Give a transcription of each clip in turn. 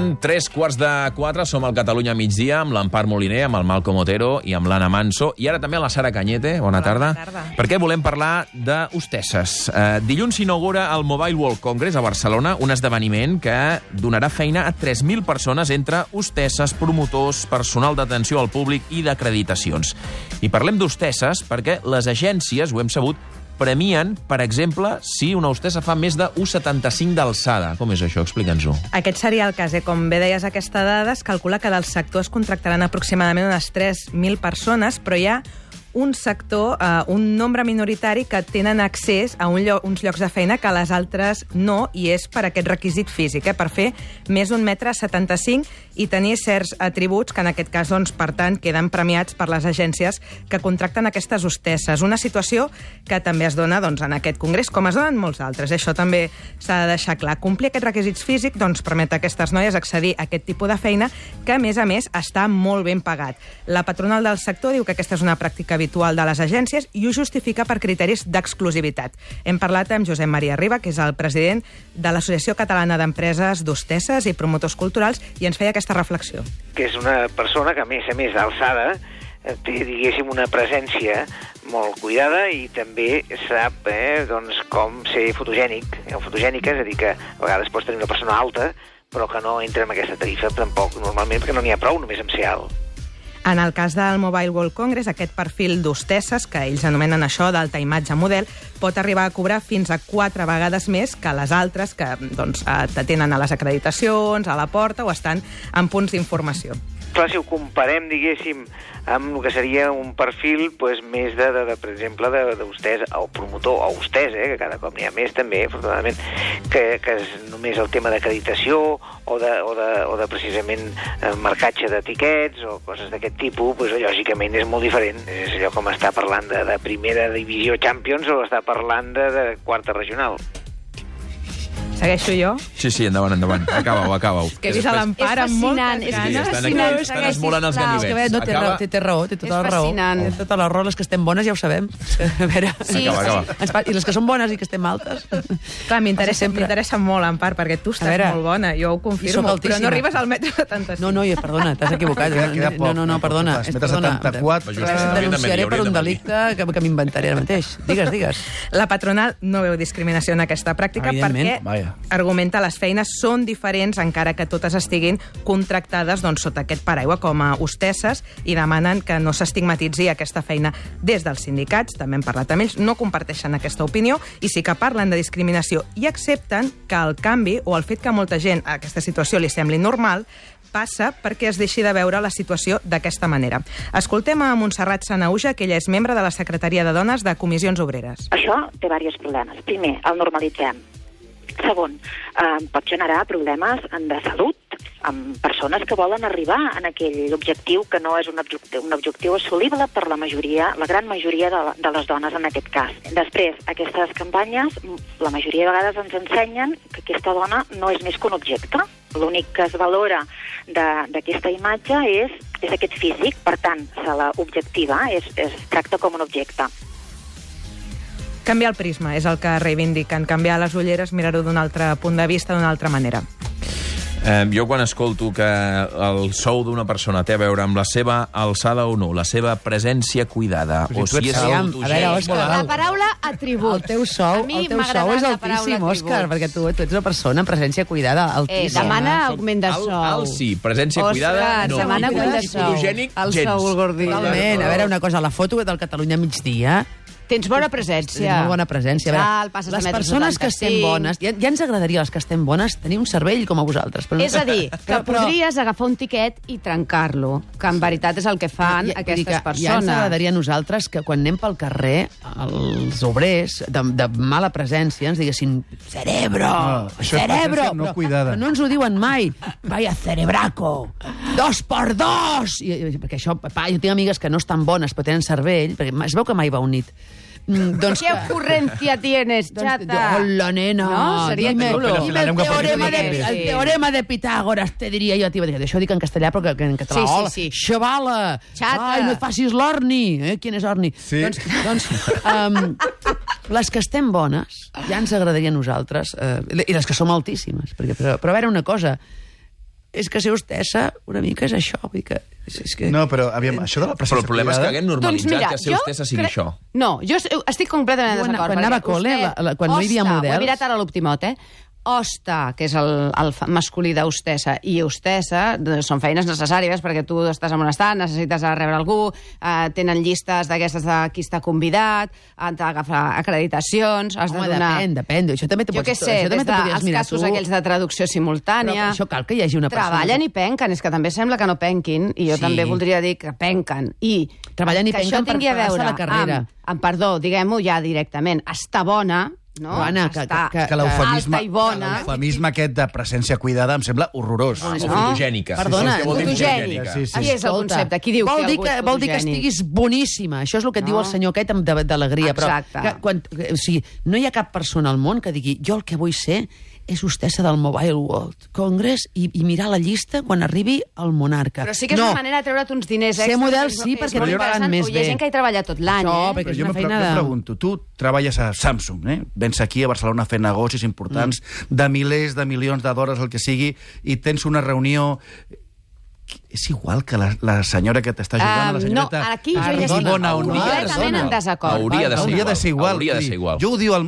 Són 3:15, som al Catalunya migdia, amb l'Empar Moliner, amb el Malcom Otero i amb l'Anna Manso, i ara també a la Sara Cañete. Bona tarda. Bona tarda. Perquè volem parlar d'hostesses. Dilluns s'inaugura el Mobile World Congress a Barcelona, un esdeveniment que donarà feina a 3.000 persones entre hostesses, promotors, personal d'atenció al públic i d'acreditacions. I parlem d'hostesses perquè les agències, ho hem sabut, premien, per exemple, si una hostessa fa més de 1,75 d'alçada. Com és això? Explica'ns-ho. Aquest seria el cas. Com bé deies, aquesta dada es calcula que del sector es contractaran aproximadament unes 3.000 persones, però hi ha un sector, un nombre minoritari que tenen accés a uns llocs de feina que les altres no, i és per aquest requisit físic, per fer més d'un 1,75 m i tenir certs atributs que en aquest cas, doncs, per tant, queden premiats per les agències que contracten aquestes hostesses. Una situació que també es dona, doncs, en aquest congrés, com es donen molts altres. Això també s'ha de deixar clar. Complir aquests requisits físics, doncs, permet a aquestes noies accedir a aquest tipus de feina que, a més, està molt ben pagat. La patronal del sector diu que aquesta és una pràctica habitual de les agències i ho justifica per criteris d'exclusivitat. Hem parlat amb Josep Maria Riba, que és el president de l'Associació Catalana d'Empreses d'Hostesses i Promotors Culturals, i ens feia aquesta reflexió. Que és una persona que, a més d'alçada, té, diguéssim, una presència molt cuidada i també sap doncs, com ser fotogènic. Fotogènica, és a dir, que a vegades pots tenir una persona alta, però que no entra en aquesta tarifa tampoc, normalment, perquè no n'hi ha prou només amb ser alt. En el cas del Mobile World Congress, aquest perfil d'hostesses, que ells anomenen això d'alta imatge model, pot arribar a cobrar fins a 4 vegades més que les altres que doncs, t'atenen a les acreditacions, a la porta o estan en punts d'informació. Clar, si ho comparem, diguéssim, amb el que seria un perfil doncs, més per exemple, d'hostès o promotor o hostès, que cada cop n'hi ha més també, afortunadament, que és només el tema d'acreditació o de precisament marcatge d'etiquets o coses d'aquest tipus, doncs, lògicament és molt diferent. És allò com està parlant de primera divisió Champions o està parlant de quarta regional. Segueixo jo? Sí, endavant. Acaba-ho. Que he vist a l'Empar amb moltes ganes. Estan esmolant els ganivets. No, té raó, té tota la raó. Té tota la raó, les que estem bones ja ho sabem. A veure... Acaba. I les que són bones i que estem altes... Clar, m'interessa molt, Empar, perquè tu estàs molt bona, jo ho confirmo, però no arribes al 1,75 m. No, perdona, t'has equivocat. No, perdona. 1,74 m. Et denunciaré per un delicte que m'inventaré ara mateix. Digues. La patronal no veu discriminació en aquesta pràctica perquè argumenta les feines són diferents encara que totes estiguin contractades sota aquest paraigua com a hostesses i demanen que no s'estigmatitzi aquesta feina des dels sindicats. També hem parlat amb ells, no comparteixen aquesta opinió i sí que parlen de discriminació i accepten que el canvi o el fet que molta gent a aquesta situació li sembli normal passa perquè es deixi de veure la situació d'aquesta manera. Escoltem a Montserrat Sanauja, que ella és membre de la Secretaria de Dones de Comissions Obreres. Això té diversos problemes. Primer, el normalitzem. Segon, pot generar problemes de salut amb persones que volen arribar en aquell objectiu que no és un objectiu assolible per la gran majoria de les dones en aquest cas. Després, aquestes campanyes, la majoria de vegades ens ensenyen que aquesta dona no és més que un objecte. L'únic que es valora d'aquesta imatge és aquest físic, per tant, se la objectiva, es tracta com un objecte. Canviar el prisma és el que reivindiquen. Canviar les ulleres, mirar-ho d'un altre punt de vista, d'una altra manera. Jo quan escolto que el sou d'una persona té a veure amb la seva alçada o no, la seva presència cuidada, o si és autogènic... La paraula atribut. El teu sou és altíssim, Òscar, perquè tu ets una persona amb presència cuidada, altíssima. Demana augment de sou. Alt sí, presència cuidada, no. Demana augment de sou. Fotogènic, el sou, el gordí. Totalment. A veure, una cosa, la foto del Catalunya migdia... Tens bona presència. Tens molt bona presència. Les persones que estem bones, ja ens agradaria, les que estem bones, tenir un cervell com a vosaltres. És a dir, que podries agafar un tiquet i trencar-lo, que en veritat és el que fan aquestes persones. Ja ens agradaria a nosaltres que quan anem pel carrer, els obrers de mala presència ens diguessin cerebro, cerebro. Però no ens ho diuen mai. Vaya cerebraco, 2x2. Perquè això, jo tinc amigues que no estan bones però tenen cervell, perquè es veu que mai va unit. ¿Qué ocurrencia tienes, chata? Hola, nena. No, seria xulo. El teorema de Pitàgores, te diria jo. Això ho dic en castellà, però que en català. Hola, xavala. Ai, no et facis l'orni. Quin és orni? Doncs, les que estem bones, ja ens agradaria a nosaltres, i les que som altíssimes. Però a veure una cosa, és que ser hostessa una mica és això. Vull dir que... No, però aviam, això de la presència Però el problema és que haguem normalitzat que ser hostessa sigui això. No, jo estic completament en desacord. Quan anava a col·le, quan no hi havia models... Ho he mirat ara a l'Optimot, hosta, que és el masculí d'hostessa, i hostessa són feines necessàries perquè tu estàs en un estat, necessites rebre algú, tenen llistes d'aquestes de qui està convidat, han d'agafar acreditacions, has de donar... Depèn. Això també jo què sé, des dels casos aquells de traducció simultània... Però això cal que hi hagi una persona... Treballen i penquen, és que també sembla que no penquin, i jo també voldria dir que penquen. I treballen i penquen per pagar-se la carrera. Perdó, diguem-ho ja directament, està bona... No? Joana, que l'eufemisme aquest de presència cuidada em sembla horrorós. O fotogènica. Perdona, fotogènica. Qui és el concepte? Qui diu que algú és fotogènic? Vol dir que estiguis boníssima. Això és el que et diu el senyor aquest d'alegria. Exacte. No hi ha cap persona al món que digui jo el que vull ser és hostessa del Mobile World Congress i mirar la llista quan arribi el monarca. Però sí que és una manera de treure't uns diners extra. Ser model sí, perquè no paguen més bé. Hi ha gent que hi treballa tot l'any, perquè és una feina de... Jo em pregunto, tu treballes a Samsung, vens aquí a Barcelona a fer negocis importants de milers de milions de dòlars, el que sigui, i tens una reunió... És igual que la senyora que t'està jugant, la senyoreta... No, aquí jo ja estic completament en desacord. Hauria de ser igual. Jo ho diu el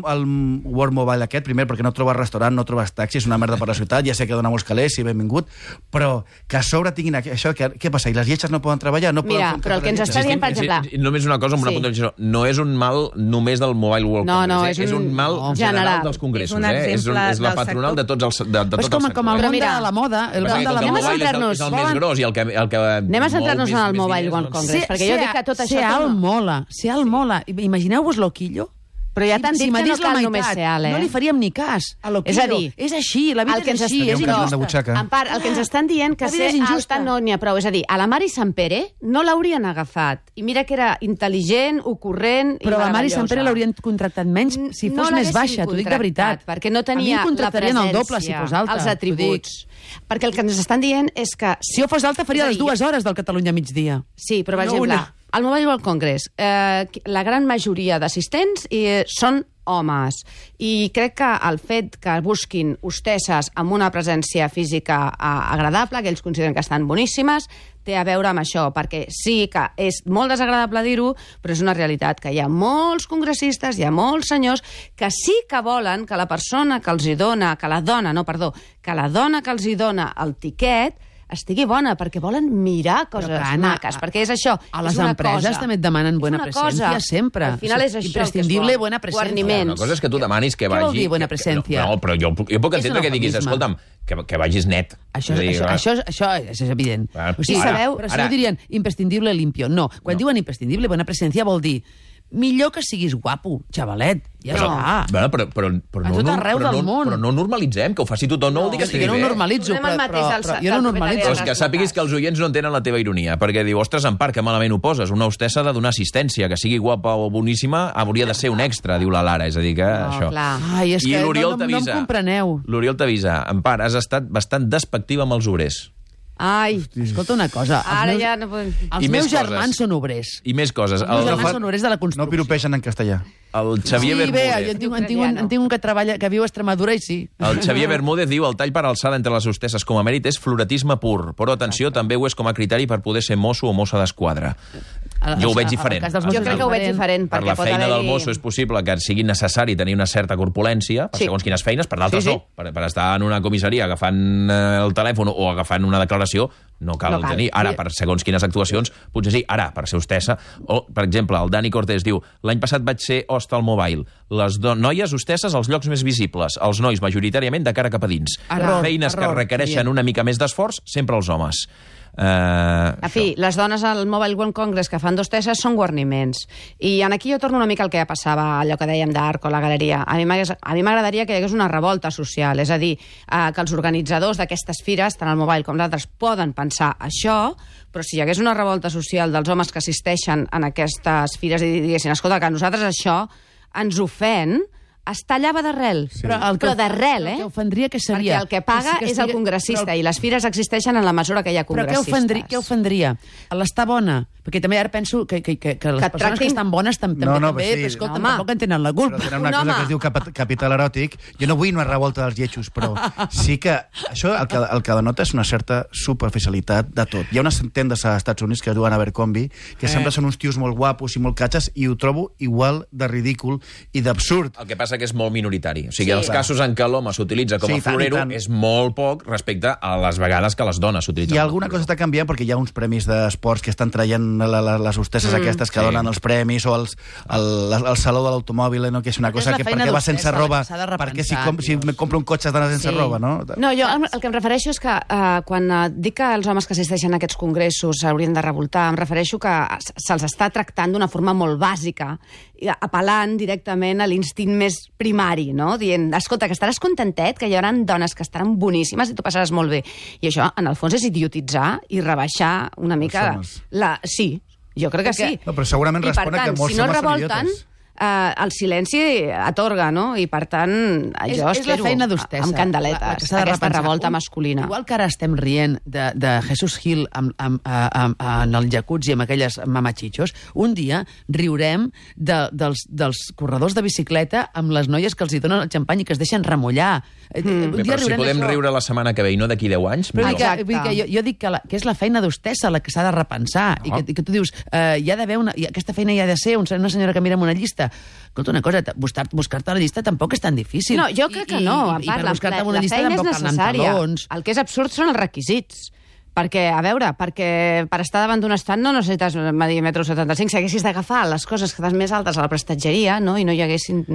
World Mobile aquest, primer, perquè no trobes restaurant, no trobes taxi, és una merda per la ciutat, ja sé que dona molts calés, sí, benvingut, però que a sobre tinguin això, què passa? I les lletges no poden treballar? Mira, però el que ens està dient, per exemple... Només una cosa, amb una puntualització, no és un mal només del Mobile World Congress, és un mal general dels congressos, és la patronal de tots els sectors. És com el món de la moda, el món de la moda és el més gros i el que anem a centrar-nos en el Mobile World Congress, perquè jo dic que tot això... Ser alt mola. Imagineu-vos l'Oquillo. Però ja t'han dit que no cal només ser alt, no li faríem ni cas a l'Oquillo. És a dir, és així, la vida és així, és injusta. En part, el que ens estan dient que ser alta no n'hi ha prou. És a dir, a la Mari Sampere no l'haurien agafat. I mira que era intel·ligent, ocurrent i meravellosa. Però la Mari Sampere l'haurien contractat menys si fos més baixa, t'ho dic de veritat. Perquè no tenia la presència, els atributs. Perquè el que ens estan dient és que... Si jo fos alta faria les 2 hores del Catalunya migdia. Sí, però per exemple... Al Mobile World Congress, la gran majoria d'assistents són homes. I crec que el fet que busquin hostesses amb una presència física agradable, que ells consideren que estan boníssimes, té a veure amb això, perquè sí que és molt desagradable dir-ho, però és una realitat que hi ha molts congressistes, hi ha molts senyors que sí que volen que la persona que els hi dona, que la dona que els hi dona el tiquet estigui bona, perquè volen mirar coses maques, perquè és això. A les empreses també et demanen bona presència, sempre. Al final és això. Imprescindible buena presència. Una cosa és que tu demanis que vagi... Què vol dir buena presència? No, però jo puc entendre que diguis, escolta'm, que vagis net. Això és evident. Però si no dirien imprescindible limpio. No, quan diuen imprescindible buena presència vol dir millor que siguis guapo, xavalet. Ja està. Però no normalitzem, que ho faci tothom, no vol dir que estigui bé. Jo no normalitzo, jo no normalitzo. Però és que sàpiguis que els oients no entenen la teva ironia, perquè diu, ostres, en part, que malament ho poses. Una hostessa ha de donar assistència, que sigui guapa o boníssima, hauria de ser un extra, diu la Lara. És a dir, que això... Ai, és que no em compreneu. L'Oriol t'avisa, en part, has estat bastant despectiva amb els obrers. Ai, escolta una cosa. Ara ja no podem... Els meus germans són obrers. I més coses. Els meus germans són obrers de la construcció. No piropeixen en castellà. El Xavier Bermúdez... Sí, bé, en tinc un que treballa, que viu a Extremadura i sí. El Xavier Bermúdez diu el tall per alçada entre les hostesses com a mèrit és floretisme pur, però atenció, també ho és com a criteri per poder ser mosso o mossa d'esquadra. Jo ho veig diferent. Jo crec que ho veig diferent. Per la feina del mosso és possible que sigui necessari tenir una certa corpulència, per segons quines feines, per d'altres no. Per estar en una comissaria agafant el telèfon o agafant una declaració, no cal tenir. Ara, per segons quines actuacions, potser sí. Ara, per ser hostessa, o, per exemple, el Dani Cortés diu l'any passat vaig ser host al Mobile. Les noies hostesses als llocs més visibles, els nois majoritàriament de cara cap a dins. Feines que requereixen una mica més d'esforç, sempre els homes. En fi, les dones al Mobile World Congress que fan d'hostesses són guarniments. I aquí jo torno una mica al que ja passava, allò que dèiem d'Arco, la galeria. A mi m'agradaria que hi hagués una revolta social, és a dir, que els organitzadors d'aquestes fires, tant el Mobile com d'altres, poden pensar això, però si hi hagués una revolta social dels homes que assisteixen en aquestes fires i diguessin, escolta, que a nosaltres això ens ofèn, es tallava d'arrel. Sí. Però d'arrel, El que ofendria que seria... Perquè el que paga és el congressista, i les fires existeixen en la mesura que hi ha congressistes. Però què ofendria? L'estar bona? Perquè també ara penso que les persones que estan bones també, escolta, tampoc en tenen la culpa. Però tenen una cosa que es diu capital eròtic. Jo no vull una revolta dels lletjos, però sí que això el que denota és una certa superficialitat de tot. Hi ha unes tendes als Estats Units que es diuen Abercrombie, que sempre són uns tios molt guapos i molt catxes, i ho trobo igual de ridícul i d'absurd. El que passa que és molt minoritari. O sigui, els casos en què l'home s'utilitza com a florero és molt poc respecte a les vegades que les dones s'utilitzen. I alguna cosa està canviant perquè hi ha uns premis d'esports que estan traient les hostesses aquestes que donen els premis, o el saló de l'automòbil, no? Que és una cosa que perquè va sense roba, perquè si me compro un cotxe has d'anar sense roba, no? No, jo el que em refereixo és que quan dic que els homes que assisteixen a aquests congressos s'haurien de revoltar, em refereixo que se'ls està tractant d'una forma molt bàsica, apel·lant directament a l'instint més primari, no? Dient, escolta, que estaràs contentet, que hi haurà dones que estaran boníssimes i tu passaràs molt bé. I això, en el fons, és idiotitzar i rebaixar una mica... Sí, jo crec que sí. No, però segurament respon a que molts homes són idiotes. El silenci atorga, no? I, per tant, jo espero amb candeletes aquesta revolta masculina. Igual que ara estem rient de Jesus Gil en el jacuzzi amb aquelles mamachitxos, un dia riurem dels corredors de bicicleta amb les noies que els hi donen el xampany i que es deixen remullar. Però si podem riure la setmana que ve i no d'aquí 10 anys... Jo dic que és la feina d'hostessa la que s'ha de repensar, i que tu dius, hi ha d'haver aquesta feina hi ha de ser una senyora que mira en una llista. Escolta, una cosa, buscar-te la llista tampoc és tan difícil. No, jo crec que no. I per buscar-te una llista tampoc cal anar amb talons. El que és absurd són els requisits. Perquè, a veure, per estar davant d'un estant no necessites medir 1,75 m. Si haguessis d'agafar les coses que estàs més altes a la prestatgeria, no? I no hi haguessin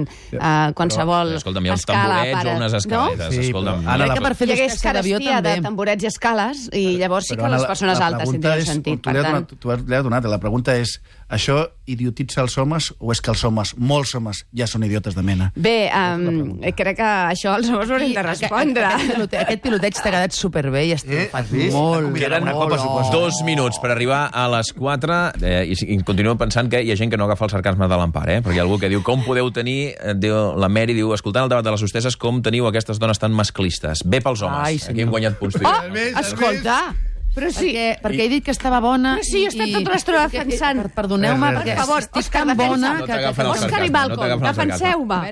qualsevol escala... Escolta'm, hi ha uns tamborets o unes escaletes. Escolta'm, hi hagués carestia de tamborets i escales, i llavors sí que les persones altes tindrien sentit. Tu l'has donat. La pregunta és, això idiotitza els homes o és que els homes, molts homes, ja són idiotes de mena? Bé, crec que això els homes haurem de respondre. Aquest piloteig t'ha quedat superbé i has triomfat molt. Queden 2 minuts per arribar a les 4 i continuo pensant que hi ha gent que no agafa el sarcasme de l'Empar, perquè hi ha algú que diu com podeu tenir, la Mary diu, escoltant el debat de les hostesses, com teniu aquestes dones tan masclistes? Bé pels homes. Aquí hem guanyat punts. Escolta, però sí. Perquè he dit que estava bona... Però sí, jo he estat tota l'estona defensant. Perdoneu-me, perquè estic tan bona... Òscar i Malcolm, defenseu-me.